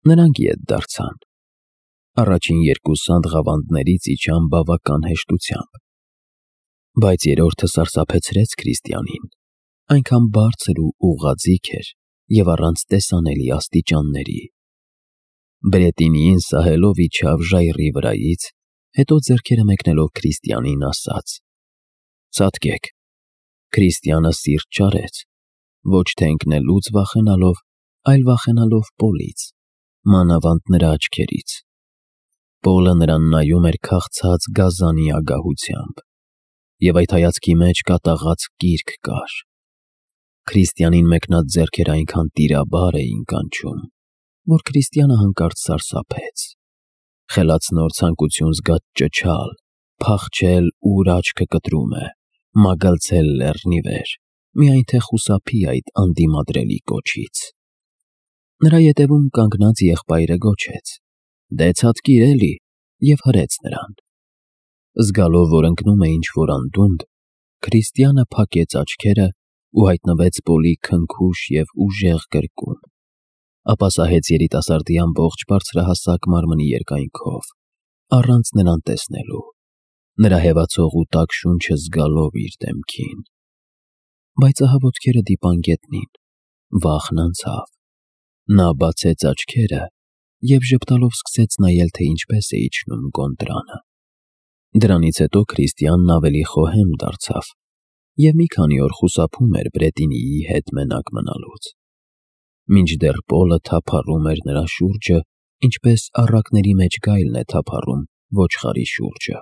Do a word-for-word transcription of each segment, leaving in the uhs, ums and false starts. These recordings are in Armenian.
Նրանք ետ դարձան։ Առաջին երկու սանդղավանդներից իջան բավական հեշտությամբ, բայց երրորդը սարսափեցրեց Քրիստիանին, այնքան բարձր ու ուղղաձիգ էր և առանց տեսանելի աստիճանների։ Բրետինիին սահելով իջավ ժայռի վրայից, հետո ձեռքերը մեկնելով Քրիստիանին ասաց. «Ցատկեք»։ Քրիստիանը սիրտ չարեց, ոչ թե ընկնելուց վախենալով, այլ վախենալով Պոլից, մանավանդ նրա աչքերից։ Պոլը նրան նայում էր քաղցած գազանի ագահությամբ, և այդ հայացքի մեջ կատաղած կիրք կար։ Քրիստիանին մեկնած ձեռքերը այնքան տիրաբար էին կանչում, որ Քրիստիանը հանկարծ սարսափեց։ Խելացնոր ցանկություն զգաց ճչալ, փախչել, ուր աչքը կտրում է, մագլցել լեռնի վեր, միայն թե խուսափի այդ անդիմադրելի կոչից։ Նրա ետևում կանգնած եղբայրը գոչեց. «Դե ցատկիր էլի», և հրեց նրան։ Զգալով, որ ընկնում է ինչ-որ անդունդ, Քրիստիանը փակեց աչքերը ու հայտնվեց Պոլի քնքուշ և ուժեղ կրկում, ապա սահեց երիտասարդի ամբողջ բարձրահասակ մարմնի երկայնքով, առանց նրան տեսնելու, նրա հեվացող ու տաք շունչը զգալով իր դեմքին։ Բայց ահա ոտքերը դիպան գետնին, վախն անցավ։ Նա բացեց աչքերը և ժպտալով սկսեց նայել, թե ինչպես է իջնում գոնդրանը։ Դրանից հետո Քրիստիանն ավելի խոհեմ դարձավ և մի քանի օր խուսափում էր Բրետինիի հետ մենակ մնալուց, մինչդեռ Պոլը թափառում էր նրա շուրջը, ինչպես առակների մեջ գայլն է թափառում ոչխարի շուրջը։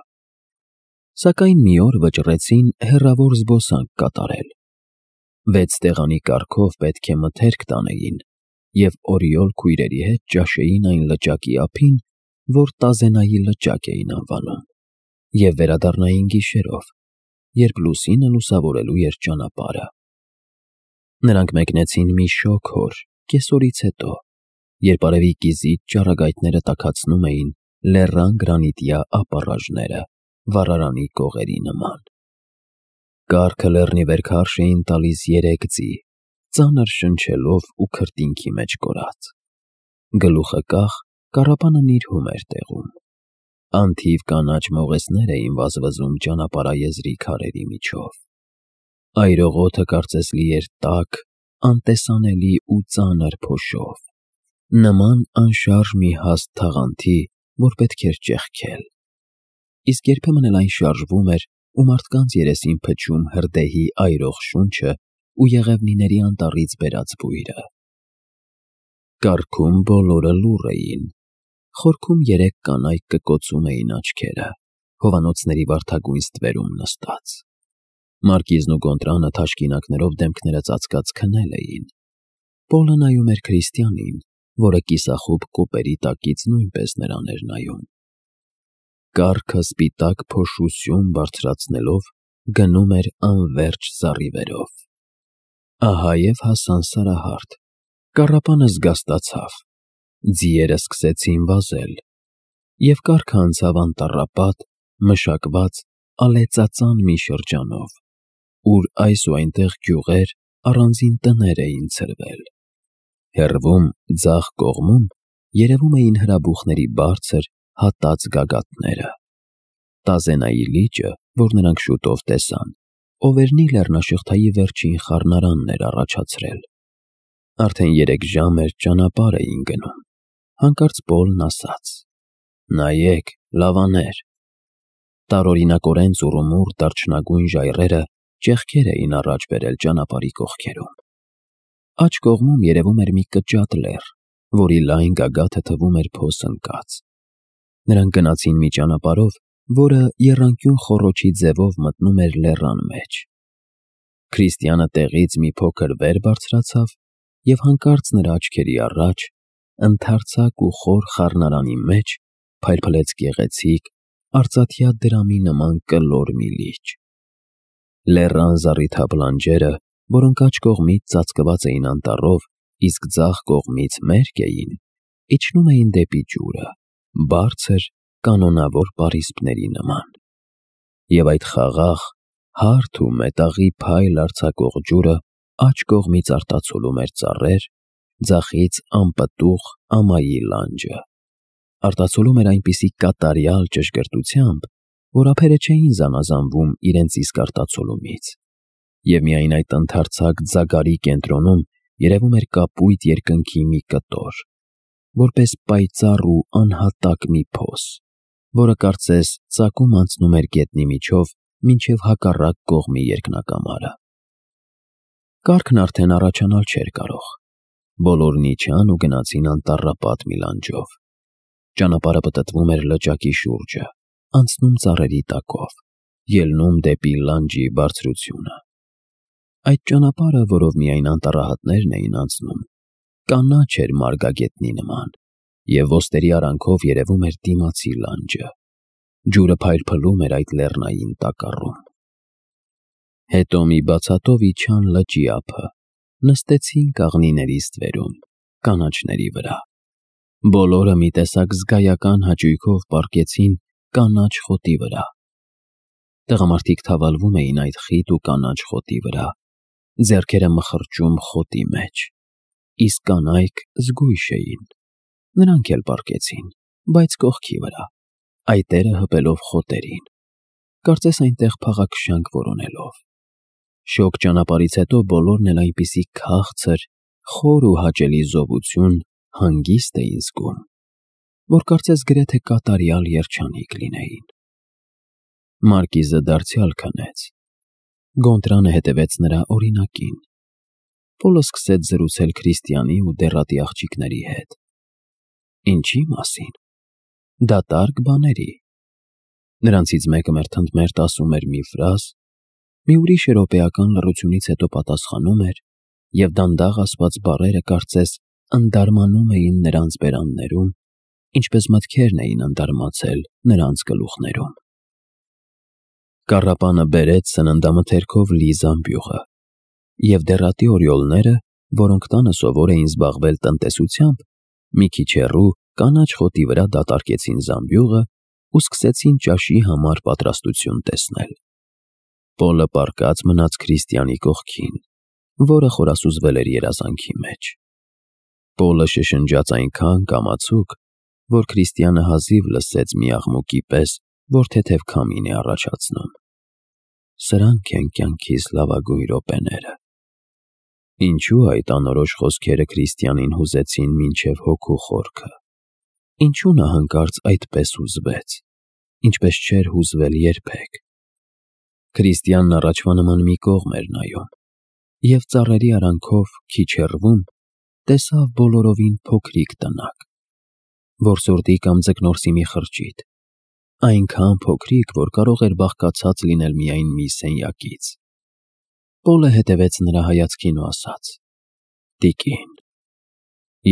Սակայն մի օր վճռեցին հեռավոր զբոսանք կատարել։ Վեց տեղանի կարգով պետք է մթերք տանեին և օրիօլ քույրերի հետ ճաշեին այն լճակի ափին, որ Տազենայի լճակ էին անվանում, և վերադառնային գիշերով, երբ լուսինը լուսավորելու էր ճանապարհը։ Նրանք մեկնեցին մի շոգ օր կեսօրից հետո, երբ արևի կիզիչ ճառագայթները տաքացնում էին լեռան գրանիտյա ապառաժները վառարանի կողերի նման։ Կառքը լեռնի վեր քարշ էին տալիս երեք ձի, ծանր շնչելով ու քրտինքի մեջ կորած։ Գլուխը կախ, կառապանը նիրհում էր տեղում։ Անթիվ կանաչ մողեսներ էին վազվզում ճանապարհաեզրի քարերի միջով։ Այրողոթը կարծես լի էր տաք, անտեսանելի ու ծանր փոշով, նման անշարժ մի հաստ թաղանթի, որ պետք էր ճեղքել։ Իսկ երբեմն էլ այն շարժվում էր ու մարդկանց երեսին փչում հրդեհի այրող շունչը ու եղևնիների անտառից բերած բույրը։ Կառքում բոլորը լուռ էին։ Խորքում երեք կանայք կկոցում էին աչքերը, հովանոցների վարդագույն ստվերում նստած։ Մարկիզն ու Գոնտրանը թաշկինակներով դեմքները ծածկած քնել էին։ Պոլը նայում էր Քրիստիանին, որը կիսախուբ կոպերի տակից նույնպես նրան էր նայում։ Կառքը սպիտակ փոշու սյուն բարձրացնելով գնում էր անվերջ զառիվերով։ Ահա և հասան Սարահարթ։ Կառապանը զգաստացավ, ձիերը սկսեցին վազել, և կառքը անցավ անտառապատ, մշակված, ալեծածան մի շրջանով, ուր այս ու այնտեղ գյուղեր, առանձին տներ էին ցրվել։ Հեռվում, ձախ կողմում երևում էին հրաբուխների բարձր, հատած գագաթները։ Տազենայի լիճը, որ նրանք շուտով տեսան, Օվերնի լեռնաշղթայի վերջին խառնարանն էր առաջացրել։ Արդեն երեք ժամ էր ճանապարհ էին գնում։ Հանկարծ Պոլն ասաց. «Նայեք, լավաներ»։ Տարօրինակորեն ծուռումուռ դարչնագույն ժայռերը ճեղքեր էին առաջ բերել ճանապարհի կողքերում։ Աջ կողմում երևում էր մի կճատ լեռ, որի լայն գագաթը թվում էր փոս ընկած։ Նրանք գնացին մի ճանապարհով, որը եռանկյուն խոռոչի ձևով մտնում էր լեռան մեջ։ Քրիստիանը տեղից մի փոքր վեր բարձրացավ, և հանկարծ նրա աչքերի առաջ, ընդարձակ ու խոր խառնարանի մեջ, փայլփլեց գեղեցիկ, արծաթյա դրամի նման կլոր մի լիճ։ Լեռան զառիթափ լանջերը, որոնք աջ կողմից ծածկված էին անտառով, իսկ ձախ կողմից մերկ էին, իջնում էին դեպի ջուրը, բարձր, կանոնավոր պարիսպների նման։ Եվ այդ խաղաղ, հարթ ու մետաղի փայլ արձակող ջուրը աջ կողմից արտացոլում էր ծառեր, ձախից անպտուղ ամայի լանջը։ Արտացոլում էր այնպիսի կատարյալ ճշգրտությամբ, որ ափերը չէին զանազանվում իրենց իսկ արտացոլումից, և միայն այդ ընդարձակ ձագարի կենտրոնում երևում էր կապույտ երկնքի մի կտոր, որպես պայծառ ու անհատակ մի փոս, որը կարծես ծակում անցնում էր գետնի միջով մինչև հակառակ կողմի երկնակամարը։ Կառքն արդեն առաջանալ չէր կարող։ Բոլորն իջան ու գնացին անտառապատ մի լանջով։ Ճանապարհը պտտվում էր լճակի շուրջը, անցնում ծառերի տակով, ելնում դեպի լանջի բարձրությունը։ Այդ ճանապարհը, որով միայն անտառահատներն էին անցնում, կանաչ էր մարգագետնի նման, և ոստերի արանքով երևում էր դիմացի լանջը։ Ջուրը փայլփլում էր այդ լեռնային տակառում։ Հետո մի բացատով իջան լճի ափը, նստեցին կաղնիների ստվերում, կանաչների վրա։ Բոլորը մի տեսակ զգայական հաճույքով պառկեցին կանաչ խոտի վրա։ Տղամարդիկ թավալվում էին այդ խիտ ու կանաչ խոտի վրա, ձեռքերը մխրճում խոտի մեջ, իսկ կանայք զգույշ էին։ Նրանք էլ պառկեցին, բայց կողքի վրա, այտերը հպելով խոտերին, կարծես այնտեղ փաղաքշանք որոնելով։ Շոգ ճանապարհից հետո բոլորն էլ այնպիսի քաղցր, խոր ու հաճելի զովություն, հանգիստ էին զգում, որ կարծես գրեթե կատարյալ երջանիկ լինեին։ Մարկիզը դարձյալ քնեց։ Գոնտրանը հետևեց նրա օրինակին։ Պոլը սկսեց զրուցել Քրիստիանի ու դեռատի աղջիկների հետ։ Ինչի մասին։ Դատարկ բաների։ Նրանցից մեկը մերթընդմերթ ասում էր մի ֆրազ, մի ուրիշը րոպեական լռությունից հետո պատասխանում էր, և դանդաղ ասված բառերը կարծես ընդարմանում էին նրանց բերաններում, ինչպես մտքերն էին ընդարմացել նրանց գլուխներում։ Կառապանը բերեց սննդամթերքով լի զամբյուղը, և դեռատի օրիոլները, որոնք տանը սովոր էին զբաղվել տնտեսությամբ, մի քիչ հեռու կանաչ խոտի վրա դատարկեցին զամբյուղը ու սկսեցին ճաշի համար պատրաստություն տեսնել։ Պոլը պառկած մնաց Քրիստիանի կողքին, որը խորասուզվել էր երազանքի մեջ։ Պոլը շշնջաց այնքան կամացուկ, որ Քրիստիանը հազիվ լսեց մի աղմուկի պես, որ թեթև քամին է առաջացնում։ Սրանք են կյանքիս լավագույն րոպեները։ Ինչու այդ անորոշ խոսքերը Քրիստիանին հուզեցին մինչև հոգու խորքը։ Ինչու նա հանկարծ այդպես հուզվեց, ինչպես չէր հուզվել երբեք։ Քրիստիանն առաջվա նման մի կողմ էր նայում, և ծառերի արանքով քիչ հեռվում տեսավ բոլորովին փոքրիկ տնակ, որսորդի կամ ձկնորսի մի խրճիթ, այնքան փոքրիկ, որ կարող էր բաղկացած լինել միայն մի սենյակից։ Պոլը հետևեց նրա հայացքին ու ասաց. «Տիկին,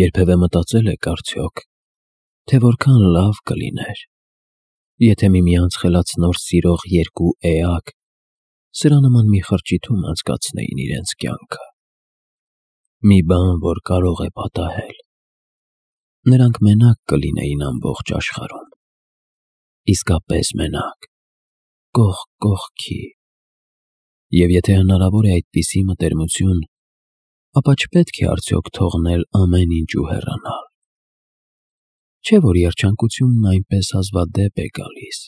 երբևէ մտածել եք արդյոք, թե որքան լավ կլիներ, եթե միմյանց խելացնոր սիրող երկու էակ սրա նման մի խրճիթում անցկացնեին իրենց կյանքը։ Մի բան, որ կարող է պատահել։ Նրանք մենակ կլինեին ամբողջ աշխարհում, իսկապես մենակ, կողք կողքի։ Եվ եթե հնարավոր է այդպիսի մտերմություն, ապա չպետք է արդյոք թողնել ամեն ինչ ու հեռանալ։ Չէ՞ որ երջանկությունն այնպես հազվադեպ է գալիս,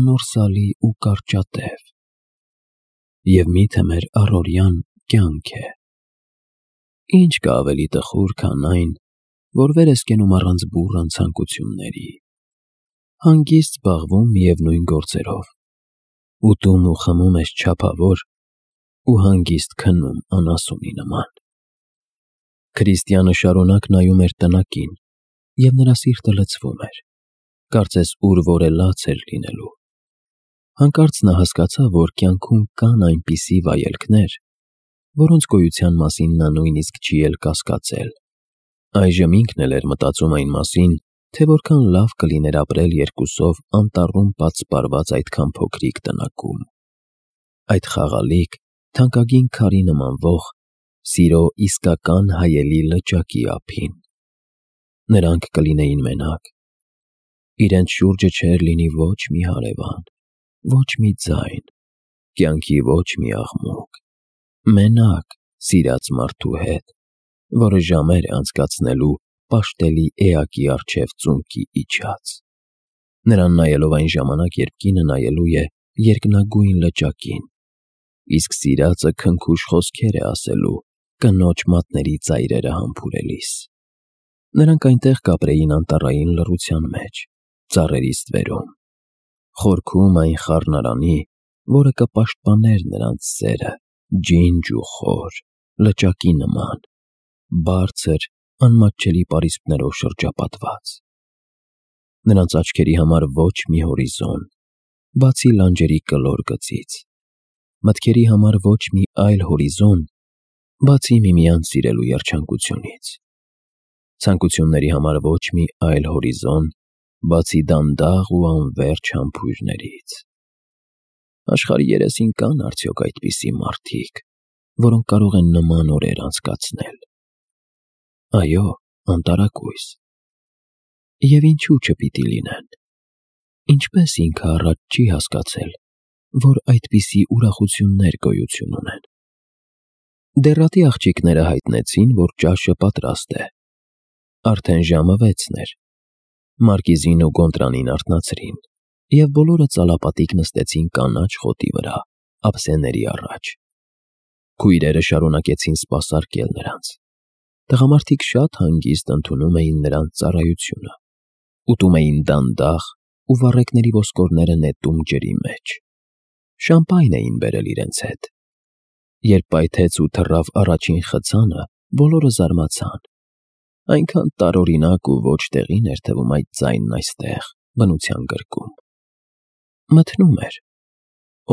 անորսալի ու կարճատև, և միթե մեր առօրյան կյանք է։ Ինչ կա ավելի տխուր, քան այն, որ վեր ես կենում առանց բուռն ցանկությունների, հանգիստ զբաղվում միևնույն գործերով, ուտում ու խմում ես չափավոր ու հանգիստ քնում անասունի նման»։ Քրիստիանը շարունակ նայում էր տնակին, և նրա սիրտը լցվում էր, կարծես ուր որ է լաց էր լինելու։ Հանկարծ նա հասկացավ, որ կյանքում կան այնպիսի վայելքներ, որոնց գոյության մասին նա նույնիսկ չի էլ կասկածել։ Այժմ ինքն էլ էր մտածում այն մասին, թե որքան լավ կլիներ ապրել երկուսով անտառում պատսպարված այդքան փոքրիկ տնակում, այդ խաղալիք, թանկագին քարի նմանվող, սիրո իսկական հայելի լճակի ափին։ Նրանք կլինեին մենակ։ Իրենց շուրջը չէր լինի ոչ մի հարևան, ոչ մի ձայն, կյանքի ոչ մի աղմուկ։ Մենակ սիրած մարդու հետ, որը ժամեր է անցկացնելու պաշտելի էակի առջև ծունկի իջած։ Նրան նայելով այն ժամանակ, երբ կինը նայելու է երկնագույն լճակին, իսկ սիրածը քնքուշ խոսքեր է ասելու կնոջ մատների ծայրերը համբուրելիս։ Նրանք այնտեղ կապրեին անտառային լռության մեջ, ծառերի ստվերում, խորքում այն խառնարանի, որը կպաշտպաներ նրանց սերը, ջինջ ու խոր, լճակի նման, բարձր, անմատչելի պարիսպներով շրջապատված։ Նրանց աչքերի համար ոչ մի հորիզոն, բացի լանջերի կլոր գծից, մտքերի համար ոչ մի այլ հորիզոն, բացի միմյանց սիրելու երջանկությունից, ցանկությունների համար ոչ մի այլ հորիզոն, բացի դանդաղ ու անվերջ համբույրներից։ Աշխարհի երեսին կան արդյոք այդպիսի մարդիկ, որոնք կարող են նման օրեր անցկացնել։ Այո, անտարակույս։ Եվ ինչու չպիտի լինեն։ Ինչպես ինքը առաջ չի հասկացել, որ այդպիսի ուրախություններ գոյություն ունեն։ Դեռատի աղջիկները հայտնեցին, որ ճաշը պատրաստ է։ Արդեն ժամը վեցն էր։ Մարկիզին ու Գոնտրանին արթնացրին, և բոլորը ծալապատիկ նստեցին կանաչ խոտի վրա, ափսեների առաջ։ Քույրերը շարունակեցին սպասարկել նրանց։ Տղամարդիկ շատ հանգիստ ընդունում էին նրանց ծառայությունը, ուտում էին դանդաղ ու վառեկների ոսկորները նետում ջրի մեջ։ Շամպայն էին բերել իրենց հետ։ Երբ պայթեց ու թռավ առաջին խցանը, բոլորը զարմացան։ Այնքան տարօրինակ ու ոչ տեղին էր թվում այդ ձայնն այստեղ, բնության գրկում։ Մթնում էր։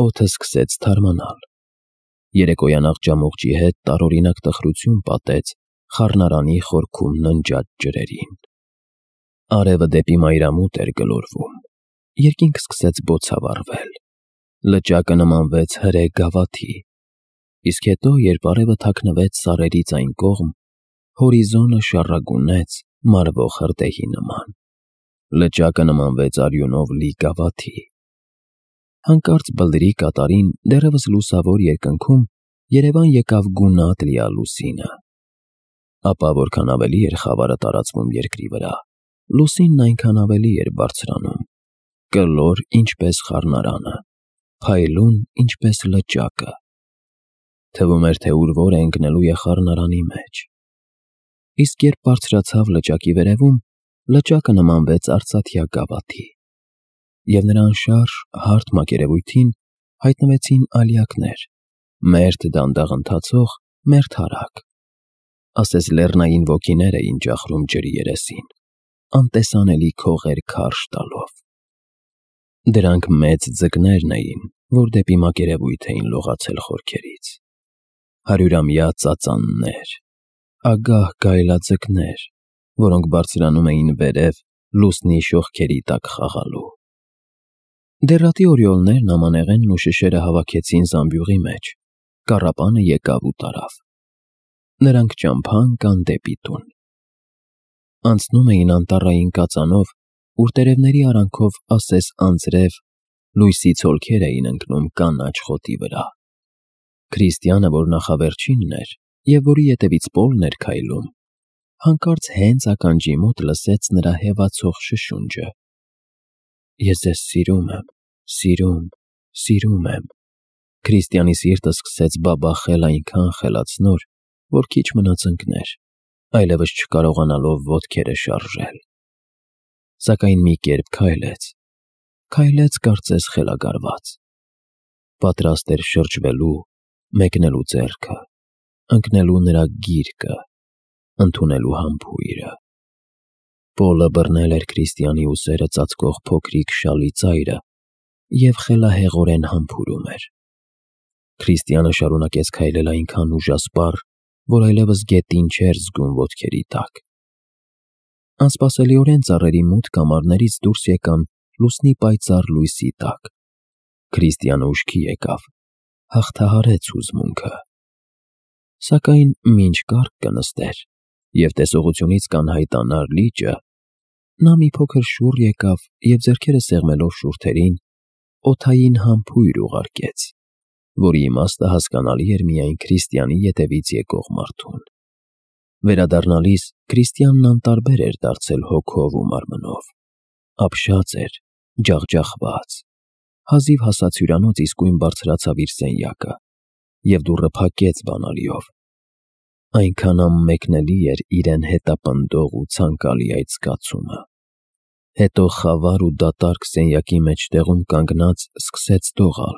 Օդը սկսեց թարմանալ։ Երեկոյան աղջամուղջի հետ տարօրինակ տխրություն պատեց խառնարանի խորքում ննջած ջրերին։ Արևը դեպի մայրամուտ էր գլորվում։ Երկինք սկսեց բոցավառվել։ Լճակը նմանվեց հրե գավաթի, իսկ հետո, երբ արևը թաքնվեց սարերից այն կողմ, հորիզոնը շառագունեց մարվող հրդեհի նման։ Լճակը նմանվեց արյունով լի գավաթի։ Հանկարծ բլրի կատարին դեռևս լուսավոր երկնքում երևան եկավ գունատ լիա լուսինը։ Ապա որքան ավելի էր խավարը տարածվում երկրի վրա, լուսինն այնքան ավելի էր բարձրանում, կլոր ինչպես խառնարանը, փայլուն ինչպես լճակը։ Թվում էր, թե ուր որ է ընկնելու է խառնարանի մեջ։ Իսկ երբ բարձրացավ լճակի վերևում, լճակը նմանվեց արծաթյա գավաթի, և նրա անշարժ հարթ մակերևույթին հայտնվեցին ալյակներ, մերթ դանդաղ ընթացող, մերթ արագ, ասես լեռնային ոգիներ էին ճախրում ջրի երեսին, անտեսանելի քողեր քարշ տալով։ Դրանք մեծ ձկներն էին, որ դեպի մակերևույթ էին լողացել խորքերից, հարյուրամյա ծածաններ, ագահ գայլաձկներ, որոնք բարձրանում էին վերև լուսնի շողքերի տակ խաղալու։ Դեռատի օրիոլներն ամանեղենն ու շշերը հավաքեցին զամբյուղի մեջ, կառապանը եկավ ու տարավ։ Նրանք ճամփա ընկան դեպի տուն։ Անցնում էին անտառային կածանով, ուր տերևների արանքով ասես անձրև լույսի ցոլքեր էին ընկնում կանաչ խոտի վրա։ Քրիստիանը, որ նախավերջինն էր և որի ետևից Պոլն էր քայլում, հանկարծ հենց ականջի մոտ լսեց նրա հևացող շշունջը. «Ես ձեզ սիրում եմ, սիրում, սիրում եմ»։ Քրիստիանի սիրտը սկսեց բաբախել այնքան խելացնոր, որ քիչ մնաց ընկներ, այլևս չկարողանալով ոտքերը շարժել։ Սակայն մի կերպ քայլեց, քայլեց կարծես խելագարված։ Պատրաստ էր շրջվելու, մեկնելու ձեռքը, ընկնելու նրա գիրկը, ընդունելու համբույրը։ Պոլը բռնել էր Քրիստիանի ուսերը ծածկող փոքրիկ շալի ծայրը և խելահեղորեն համբուրում էր։ Քրիստիանը շարունակեց քայլել այնքան ուժասպառ, որ այլևս գետին չէր զգում ոտքերի տակ։ Անսպասելիորեն ծառերի մութ կամարներից դուրս եկան լուսնի պայծառ լույսի տակ։ Քրիստիանը ուշքի եկավ, հաղթահարեց հուզմունքը։ Սակայն մինչ կառք կնստեր և տեսողությունից կանհայտանար լիճը, նա մի փոքր շուռ եկավ և ձեռքերը սեղմելով շուրթերին, օդային համբույր ուղարկեց, որի իմաստը հասկանալի էր միայն Քրիստիանի ետևից եկող մարդուն։ Վերադառնալիս Քրիստիանն անտարբեր էր դարձել հոգով ու մարմնով։ Ապշած էր, ջախջախված։ Հազիվ հասած հյուրանոց իսկույն բարձրացավ իր սենյակը և դուռը փակեց բանալիով։ Այնքան անմեկնելի էր իրեն հետապնդող ու ցանկալի այդ զգացումը։ Հետո խավար ու դատարկ սենյակի մեջտեղում կանգնած սկսեց դողալ։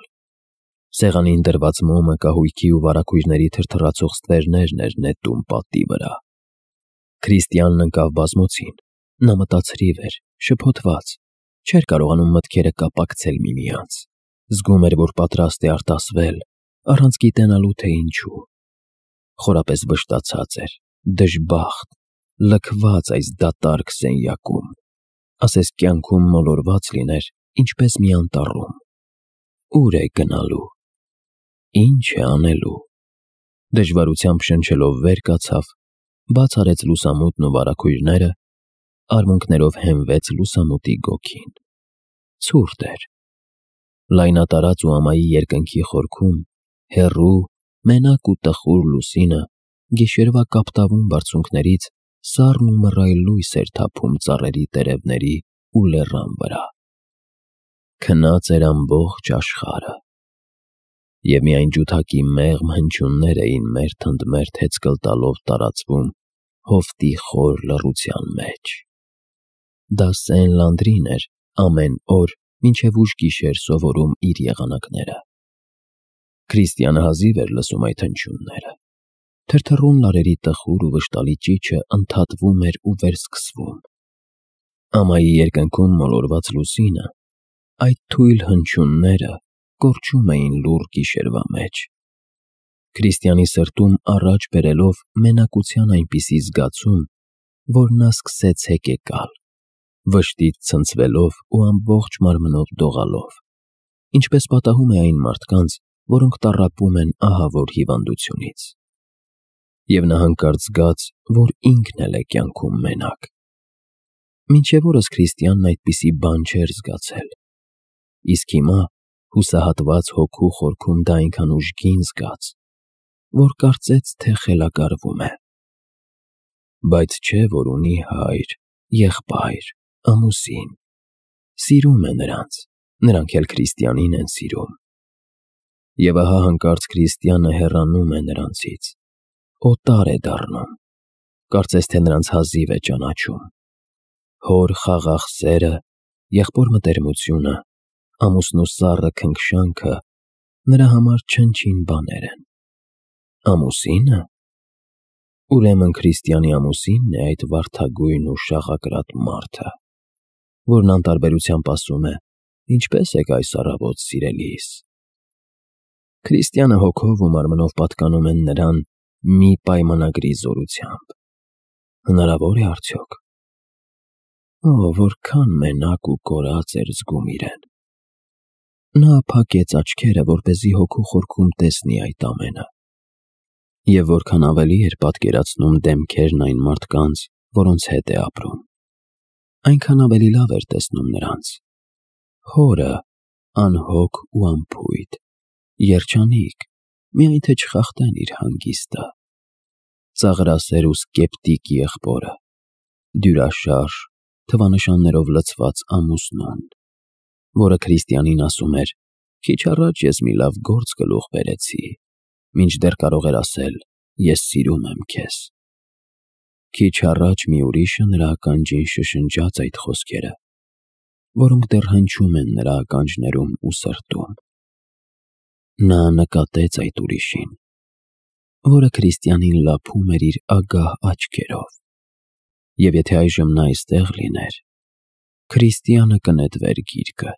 Սեղանին դրված մոմը կահույքի ու վարագույրների թրթռացող ստվերներն էր նետում պատի վրա։ Քրիստիանն ընկավ բազմոցին։ Նա մտածրիվ էր, շփոթված, չէր կարողանում մտքերը կապակցել միմյանց։ Զգում էր, որ պատրաստ է արտասվել, առանց գիտենալու, թե ինչու։ Խորապես վշտացած էր, դժբախտ, լքված այս դատարկ սենյակում, ասես կյանքում մոլորված լիներ, ինչպես մի անտառում։ Ո՞ւր է գնալու։ Ի՞նչ է անելու։ Դժվարությամբ շնչելով վեր կացավ, բաց արեց լուսամուտն ու վարագույրները, արմունկներով հենվեց լուսամուտի գոգին։ Ցուրտ էր։ Լայնատարած ու ամայի երկնքի խորքում, հեռու, մենակ ու տխուր լուսինը գիշերվա կապտավուն բարձունքներից սառն ու մռայլ լույս էր թափում ծառերի տերևների ու լեռան վրա։ Քնած էր ամբողջ աշխարհը։ Եվ միայն ջութակի մեղմ հնչյուններ էին մերթ ընդ մերթ հեծկլ տալով տարածվում հովտի խոր լռության մեջ։ Դա Սեն Լանդրին էր ամեն օր մինչև ուշ գիշեր սովորում իր եղանակները։ Քրիստիանը հազիվ էր լսում այդ հնչյունները։ Թրթռուն լարերի տխուր ու վշտալի ճիչը ընդհատվում էր ու վերսկսվում։ Ամայի երկնքում մոլորված լուսինը, այդ թույլ հնչյունները կորչում էին լուռ գիշերվա մեջ։ Քրիստիանի սրտում առաջ բերելով մենակության այնպիսի զգացում, որ նա սկսեց հեկեկալ, վշտից ցնցվելով ու ամբողջ մարմնով դողալով, ինչպես պատահում է այն մարդկանց, որոնք տառապում են ահավոր հիվանդությունից։ Եվ նա հանկարծ զգաց, որ ինքն էլ է կյանքում մենակ։ Մինչև օրս Քրիստիանն այդպիսի բան չէր զգացել։ Իսկ հիմա, հուսահատված հոգու խորքում դա այնքան ուժգին զգաց, որ կարծեց, թե խելագարվում է։ Բայց չէ, որ ունի հայր, եղբայր, ամուսին։ Սիրում է նրանց, նրանք էլ Քրիստիանին են սիրում։ Եվ ահա հանկարծ Քրիստիանը հեռանում է նրանցից, օտար է դառնում, կարծես թե նրանց հազիվ է ճանաչում։ Հոր խաղաղ սերը, եղբոր մտերմությունը, ամուսնու սառը քնքշանքը նրա համար չնչին բաներ են։ Ամուսի՞նը։ Ուրեմն Քրիստիանի ամուսինն է այդ վարդագույն ու շաղակրատ մարդը, որն անտարբերությամբ ասում է. «Ինչպե՞ս եք այս առավոտ, սիրելիս»։ Քրիստիանը հոգով ու մարմնով պատկանում են նրան մի պայմանագրի զորությամբ։ Հնարավոր է արդյոք։ Ո՜, որքան մենակ ու կորած էր զգում իրեն։ Նա փակեց աչքերը, որպեսզի հոգու խորքում տեսնի այդ ամենը։ Եվ որքան ավելի էր պատկերացնում դեմքերն այն մարդկանց, որոնց հետ է ապրում, այնքան ավելի լավ էր տեսնում նրանց։ Հորը, անհոգ ու անփույթ, երջանիկ, միայն թե չխախտեն իր հանգիստը։ Ծաղրասեր ու սկեպտիկ եղբորը, դյուրաշարժ, թվանշաններով լցված ամուսնուն, որը Քրիստիանին ասում էր. «Քիչ առաջ ես մի լավ գործ գլուխ բերեցի», մինչդեռ կարող էր ասել. «Ես սիրում եմ քեզ»։ Քիչ առաջ մի ուրիշը նրա ականջին շշնջաց այդ խոսքերը, որոնք դեռ հնչում են նրա ականջներում ու սրտում։ Նա նկատեց այդ ուրիշին, որը Քրիստիանին լափում էր իր ագահ աչքերով։ Եվ եթե այժմ նա այստեղ լիներ, Քրիստիանը կնետվեր գիրկը,